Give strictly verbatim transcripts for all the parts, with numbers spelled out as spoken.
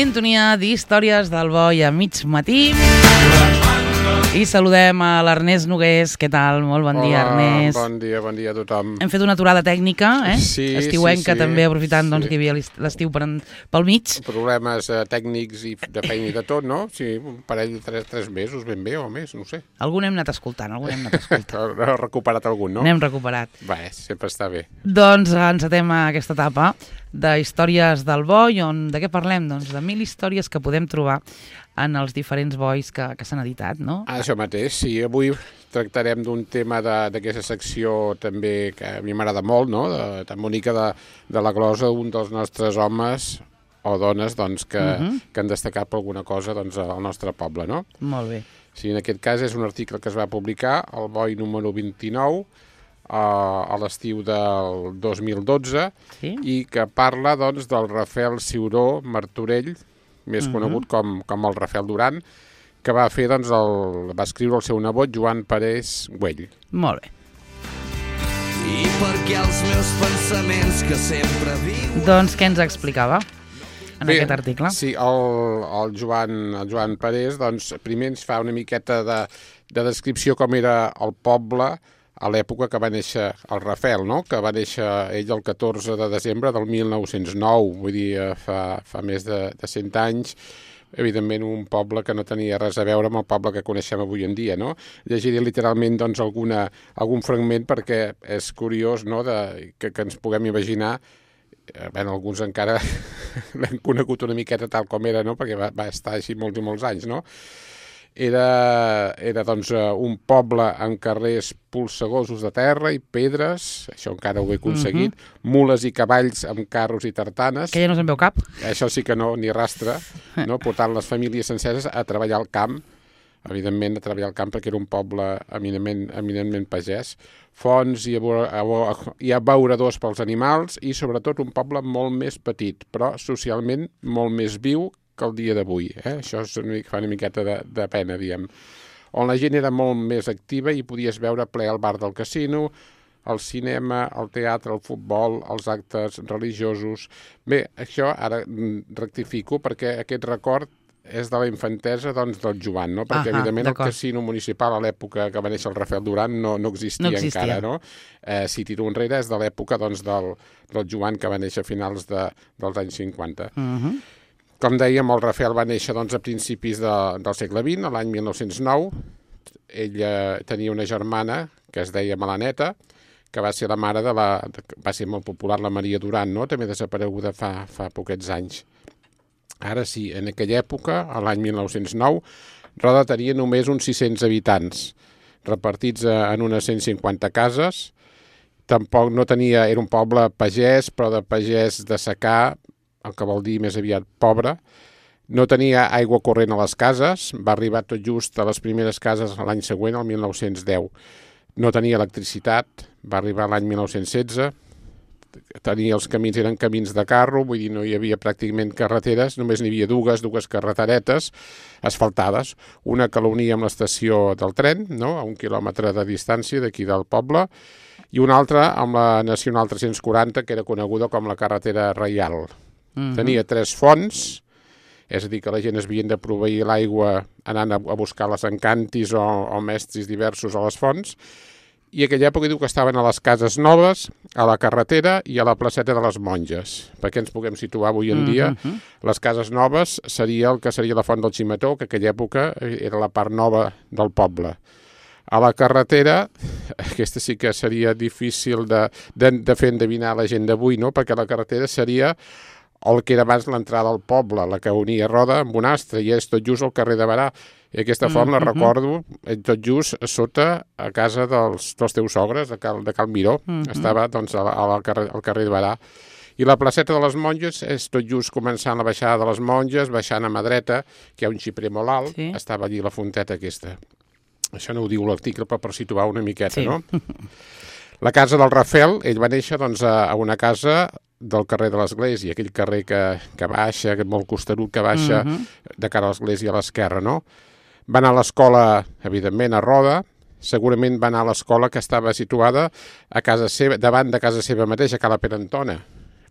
Sintonia d'històries del Boi a mig matí. I saludem a l'Ernest Nogués. Què tal? Molt bon dia, Ernest. Bon dia, bon dia a tothom. Hem fet una aturada tècnica, eh? Sí, estiuenca, sí, sí. també, aprofitant sí. doncs, que hi havia l'estiu per en, pel mig. Problemes eh, tècnics i de feina i de tot, no? Sí, un parell de tres, tres mesos ben bé o més, no ho sé. Algun hem anat escoltant, algun hem anat escoltant. Heu recuperat algun, no? N'hem recuperat. Bé, sempre està bé. Doncs encetem aquesta etapa de històries del boi, on de què parlem? Doncs de mil històries que podem trobar en els diferents bois que, que s'han editat, no? Ah, això mateix, sí. Avui tractarem d'un tema d'aquesta secció també que a mi m'agrada molt, no? De, de Mònica de, de la Glosa, un dels nostres homes o dones doncs, que, uh -huh. que han destacat per alguna cosa doncs, al nostre poble, no? Molt bé. Sí, en aquest cas és un article que es va publicar, el boi número vint-i-nou, a l'estiu del dos mil dotze, sí? I que parla doncs, del Rafael Ciuró Martorell, més uh-huh. conegut com, com el Rafael Duran, que va fer, doncs, el, va escriure el seu nebot Joan Parés Güell. Molt bé. I perquè els meus pensaments que sempre viuen... Doncs què ens explicava en Bé, aquest article? Sí, el, el, Joan, el Joan Parés, doncs, primer ens fa una miqueta de, de descripció com era el poble a l'època que va néixer el Rafael, no? Que va néixer ell el catorze de desembre del mil nou-cents nou, vull dir, fa, fa més de, de cent anys, evidentment un poble que no tenia res a veure amb el poble que coneixem avui en dia, no? Llegiré literalment doncs, alguna, algun fragment perquè és curiós, no?, de, que, que ens puguem imaginar. Bé, alguns encara l'hem conegut una miqueta tal com era, no?, perquè va, va estar així molts i molts anys, no? Era, era doncs, un poble amb carrers polsegosos de terra i pedres, això encara ho he aconseguit, uh-huh. mules i cavalls amb carros i tartanes. Que ja no se'n veu cap. Això sí que no, ni rastre, no? Portant les famílies senceres a treballar al camp, evidentment a treballar al camp perquè era un poble eminentment, eminentment pagès, fonts i, i abeuradors pels animals i sobretot un poble molt més petit, però socialment molt més viu que el dia d'avui. Eh? Això és una, fa una miqueta de, de pena, diguem. On la gent era molt més activa i podies veure ple al bar del casino, el cinema, el teatre, el futbol, els actes religiosos. Bé, això ara rectifico perquè aquest record és de la infantesa doncs, del Joan, no? Perquè, Aha, evidentment, el casino municipal a l'època que va néixer el Rafael Duran no, no, existia no existia encara, no? Eh, si tiro enrere és de l'època doncs, del, del Joan que va néixer a finals de, dels anys cinquanta. Uh-huh. Com dèiem, el Rafael va néixer doncs, a principis de, del segle vint, l'any mil nou-cents nou. Ella tenia una germana que es deia Melaneta, que va ser la mare de la... va ser molt popular la Maria Duran, no? També desapareguda fa, fa poquets anys. Ara sí, en aquella època, a l'any mil nou-cents nou, Roda tenia només uns sis-cents habitants, repartits en unes cent cinquanta cases. Tampoc no tenia... Era un poble pagès, però de pagès de secà, el que vol dir més aviat pobre. No tenia aigua corrent a les cases, va arribar tot just a les primeres cases l'any següent, el mil nou-cents deu. No tenia electricitat, va arribar l'any mil nou-cents setze. Tenia els camins, eren camins de carro, vull dir, no hi havia pràcticament carreteres, només n'hi havia dues, dues carreteretes asfaltades, una que l'unia amb l'estació del tren, no?, a un quilòmetre de distància d'aquí del poble, i una altra amb la Nacional tres-cents quaranta, que era coneguda com la carretera reial. Uh-huh. Tenia tres fonts, és a dir, que la gent es havien de proveir l'aigua anant a, a buscar les encantis o, o mestres diversos a les fonts, i aquella època diu que estaven a les cases noves, a la carretera i a la placeta de les Monges. Perquè ens puguem situar avui en dia, uh-huh. les cases noves seria el que seria la Font del Ximetó, que aquella època era la part nova del poble. A la carretera, aquesta sí que seria difícil de, de, de fer endevinar la gent d'avui, no?, perquè la carretera seria el que era abans l'entrada al poble, la que unia Roda amb Bonastre, i és tot just el carrer de Barà. I aquesta font mm-hmm. la recordo tot just sota a casa dels, dels teus sogres, de Cal, de Cal Miró. Mm-hmm. Estava doncs, a, a, al, carrer, al carrer de Barà. I la placeta de les Monges és tot just començant la baixada de les Monges, baixant a mà dreta, que hi ha un xiprer molt alt, sí. Estava allí la fonteta aquesta. Això no ho diu l'article, però per situar una miqueta, sí. No? La casa del Rafael, ell va néixer doncs, a, a una casa del carrer de l'Església, aquell carrer que, que baixa, molt costerut, que baixa uh-huh. de cara a l'Església a l'esquerra, no? Va anar a l'escola, evidentment, a Roda, segurament va anar a l'escola que estava situada a casa seva, davant de casa seva mateixa, a Cala Perantona,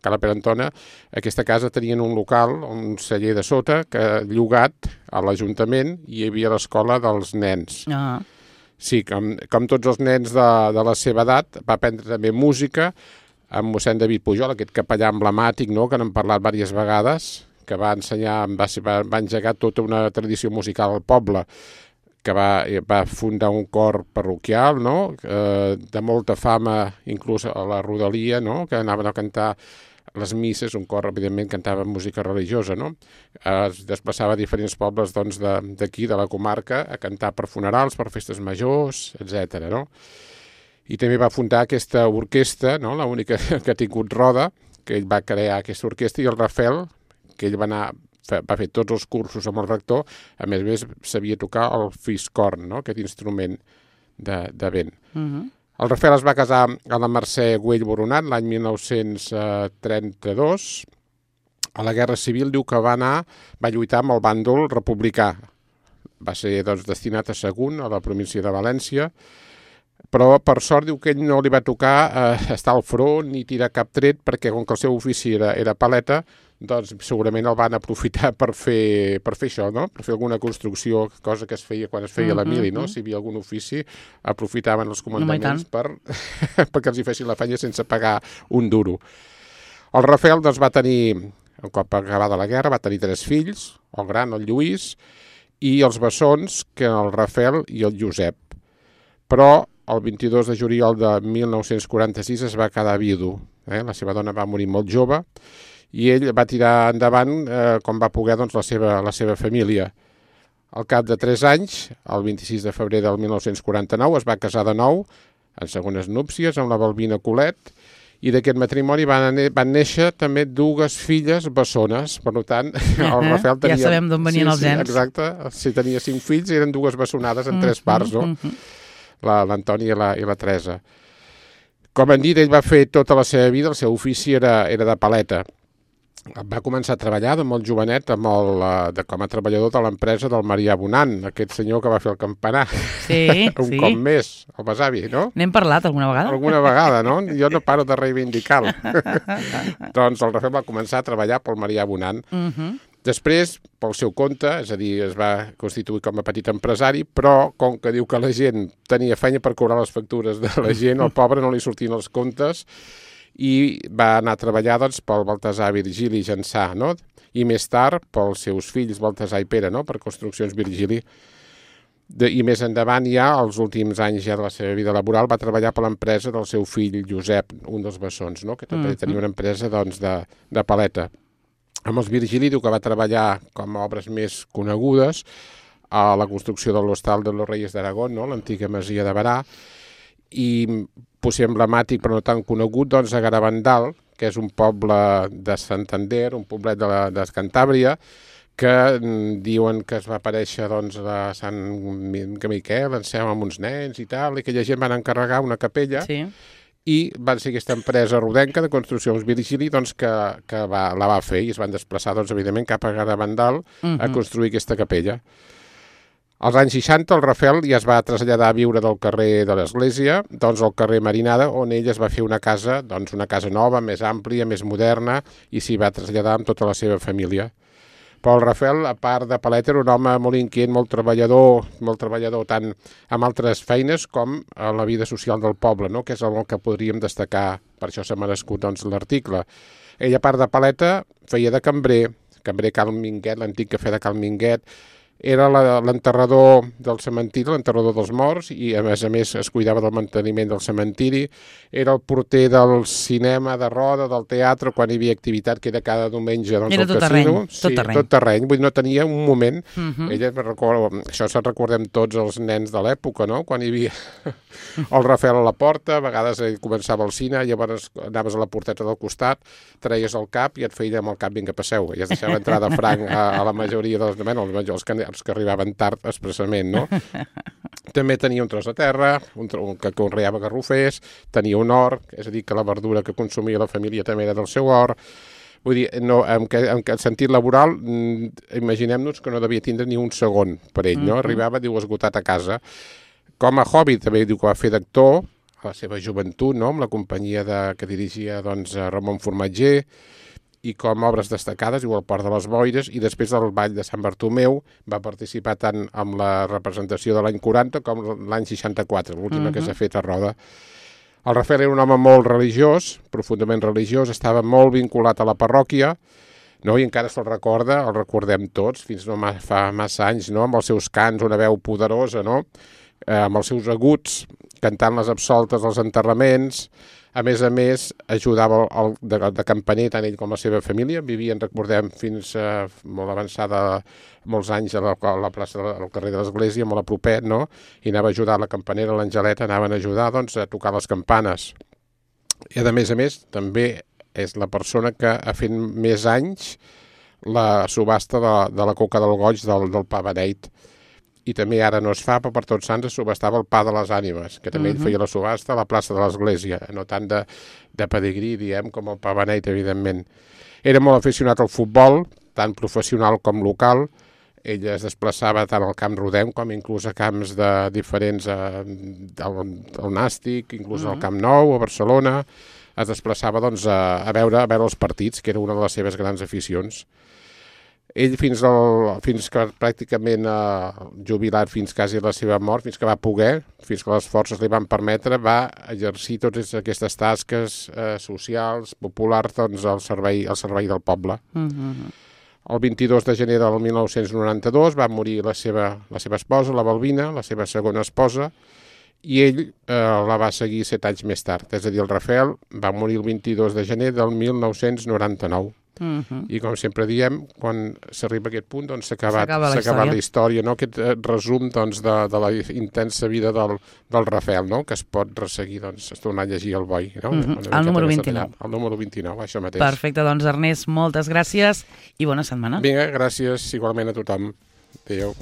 Cala Perantona, aquesta casa tenien un local, un celler de sota, que llogat a l'Ajuntament i hi havia l'escola dels nens. Ah. Sí, com, com tots els nens de, de la seva edat, va aprendre també música amb mossèn David Pujol, aquest capellà emblemàtic, no?, que n'hem parlat diverses vegades, que va ensenyar, va, va, va engegar tota una tradició musical al poble, que va, va fundar un cor parroquial, no?, eh, de molta fama, inclús a la rodalia, no?, que anaven a cantar les misses, un cor, evidentment, cantava música religiosa, no? Es desplaçava a diferents pobles doncs, d'aquí, de, de la comarca, a cantar per funerals, per festes majors, etcètera, no? I també va fundar aquesta orquestra, no?, l'única que ha tingut roda, que ell va crear aquesta orquestra, i el Rafel, que ell va anar, va fer tots els cursos amb el rector, a més a més sabia tocar el fiscorn, no?, aquest instrument de, de vent. Uh-huh. El Rafel es va casar a la Mercè Güell Boronat l'any mil nou-cents trenta-dos. A la Guerra Civil diu que va anar, va lluitar amb el bàndol republicà. Va ser doncs, destinat a Sagunt, a la província de València, però per sort diu que ell no li va tocar eh, estar al front ni tirar cap tret, perquè com que el seu ofici era, era paleta, doncs segurament el van aprofitar per fer, per fer això, no? Per fer alguna construcció, cosa que es feia quan es feia mm-hmm. la mili, no? Si hi havia algun ofici, aprofitaven els comandaments no, per, perquè els hi fessin la feina sense pagar un duro. El Rafel doncs, va tenir, un cop acabada la guerra, va tenir tres fills, el gran, el Lluís, i els bessons, que el Rafel i el Josep. Però el vint-i-dos de juliol de mil nou-cents quaranta-sis es va quedar vidu. Eh? La seva dona va morir molt jove i ell va tirar endavant eh, com va poder doncs, la, seva, la seva família. Al cap de tres anys, el vint-i-sis de febrer del mil nou-cents quaranta-nou, es va casar de nou, en segones núpcies, amb la Balbina Colet, i d'aquest matrimoni van, van néixer també dues filles bessones. Per tant, el uh-huh. Rafel tenia... Ja sabem d'on venien sí, els gens. Sí, exacte. Si tenia cinc fills, eren dues bessonades en uh-huh. tres parts, no? Uh-huh. l'Antoni i, la, i la Teresa. Com han dit, ell va fer tota la seva vida, el seu ofici era, era de paleta. Va començar a treballar de molt jovenet amb el, de, com a treballador de l'empresa del Marià Bonan, aquest senyor que va fer el campanar. Sí, un sí. cop més, el besavi, no? N'hem parlat alguna vegada? Alguna vegada, no? Jo no paro de reivindicar-lo. Doncs el Rafel va començar a treballar pel Marià Bonan. Uh-huh. Després, pel seu compte, és a dir, es va constituir com a petit empresari, però com que diu que la gent tenia feina per cobrar les factures de la gent, el pobre no li sortien els comptes i va anar a treballar doncs, pel Baltasar Virgili Jansà, no? I més tard pels seus fills Baltasar i Pere, no? Per Construccions Virgili. De, I més endavant ja, els últims anys ja de la seva vida laboral, va treballar per l'empresa del seu fill Josep, un dels bessons, no? Que també uh-huh. tenia una empresa doncs, de, de paleta. Amb els Virgili diu que va treballar com a obres més conegudes a la construcció de l'Hostal de los Reyes d'Aragón, no? L'antiga masia de Barà, i potser emblemàtic però no tan conegut, doncs a Garavandal, que és un poble de Santander, un poblet de, la, de Cantàbria, que mm, diuen que es va aparèixer doncs, a Sant Miquel, en seu amb uns nens i tal, i aquella gent van encarregar una capella, sí. I van ser aquesta empresa rodenca de Construccions Virgili doncs, que, que va, la va fer i es van desplaçar, doncs, evidentment, cap a Garavandal uh-huh. a construir aquesta capella. Als anys seixanta el Rafel ja es va traslladar a viure del carrer de l'Església, doncs al carrer Marinada, on ell es va fer una casa, doncs una casa nova, més àmplia, més moderna, i s'hi va traslladar amb tota la seva família. Però el Rafel, a part de paleta, era un home molt inquiet, molt treballador, molt treballador tant amb altres feines com a la vida social del poble, no? Que és el que podríem destacar, per això s'ha merescut doncs, l'article. Ell, a part de paleta, feia de cambrer, cambrer Cal Minguet, l'antic cafè de Cal Minguet, era l'enterrador del cementiri, l'enterrador dels morts, i a més a més es cuidava del manteniment del cementiri, era el porter del cinema de Roda, del teatre, quan hi havia activitat que era cada diumenge doncs, era al tot casino. Terreny, sí, tot terreny. Tot terreny, vull dir, no tenia un moment. Uh-huh. Ella, recordo, això se'n recordem tots els nens de l'època, no? Quan hi havia el Rafel a la porta, a vegades començava el cine, llavors anaves a la porteta del costat, treies el cap i et feia amb el cap vinga, passeu, i es deixava entrar de franc a, a la majoria dels, bueno, els que els que arribaven tard expressament, no? També tenia un tros de terra, un, un que conreava garrofers, tenia un hort, és a dir, que la verdura que consumia la família també era del seu hort. Vull dir, no, en, que, en que sentit laboral, imaginem-nos que no devia tindre ni un segon per ell, no? Arribava, diu, esgotat a casa. Com a hobby, també diu que va fer d'actor, a la seva joventut, no? Amb la companyia de, que dirigia doncs, Ramon Formatger, i com obres destacades, igual el Port de les Boires, i després del Ball de Sant Bartomeu va participar tant amb la representació de l'any quaranta com l'any seixanta-quatre, l'última uh-huh. que s'ha fet a Roda. El Rafael era un home molt religiós, profundament religiós, estava molt vinculat a la parròquia, no? I encara se'l recorda, el recordem tots, fins no fa massa anys, no? Amb els seus cants, una veu poderosa, no? Eh, amb els seus aguts, cantant les absoltes als enterraments. A més a més, ajudava el, de, de campaner tant ell com la seva família. Vivien, recordem, fins eh, molt avançada, molts anys a la, a la plaça del carrer de l'Església, molt a propet, no? I anava a ajudar la campanera, l'Angeleta, anaven a ajudar doncs, a tocar les campanes. I a més a més, també és la persona que ha fet més anys la subhasta de, de la coca del goig del, del pa beneit. I també ara no es fa, però per Tots Sants es subhastava el pa de les ànimes, que també uh-huh. ell feia la subhasta a la plaça de l'Església, no tant de, de pedigrí, diem, com el pa beneit, evidentment. Era molt aficionat al futbol, tant professional com local. Ell es desplaçava tant al Camp Rodem com inclús a camps de diferents, eh, al, al Nàstic, inclús uh-huh. al Camp Nou, a Barcelona. Es desplaçava doncs, a, a, veure, a veure els partits, que era una de les seves grans aficions. Ell fins, al, fins que pràcticament eh, jubilat, fins quasi la seva mort, fins que va poder, fins que les forces li van permetre, va exercir totes aquestes tasques eh, socials, populars, doncs, al servei, al servei del poble. Uh-huh. El vint-i-dos de gener del mil nou-cents noranta-dos va morir la seva, la seva esposa, la Balbina, la seva segona esposa, i ell eh, la va seguir set anys més tard. És a dir, el Rafael va morir el vint-i-dos de gener del mil nou-cents noranta-nou. Uh-huh. I com sempre diem, quan s'arriba a aquest punt, doncs s'ha acabat, la, acabat la història, no? Aquest eh, resum doncs, de, de la intensa vida del, del Rafael, no? Que es pot resseguir, doncs, es tornar a llegir el boi. No? Uh-huh. El número vint-i-nou. El número vint-i-nou, això mateix. Perfecte, doncs Ernest, moltes gràcies i bona setmana. Vinga, gràcies igualment a tothom. Adéu.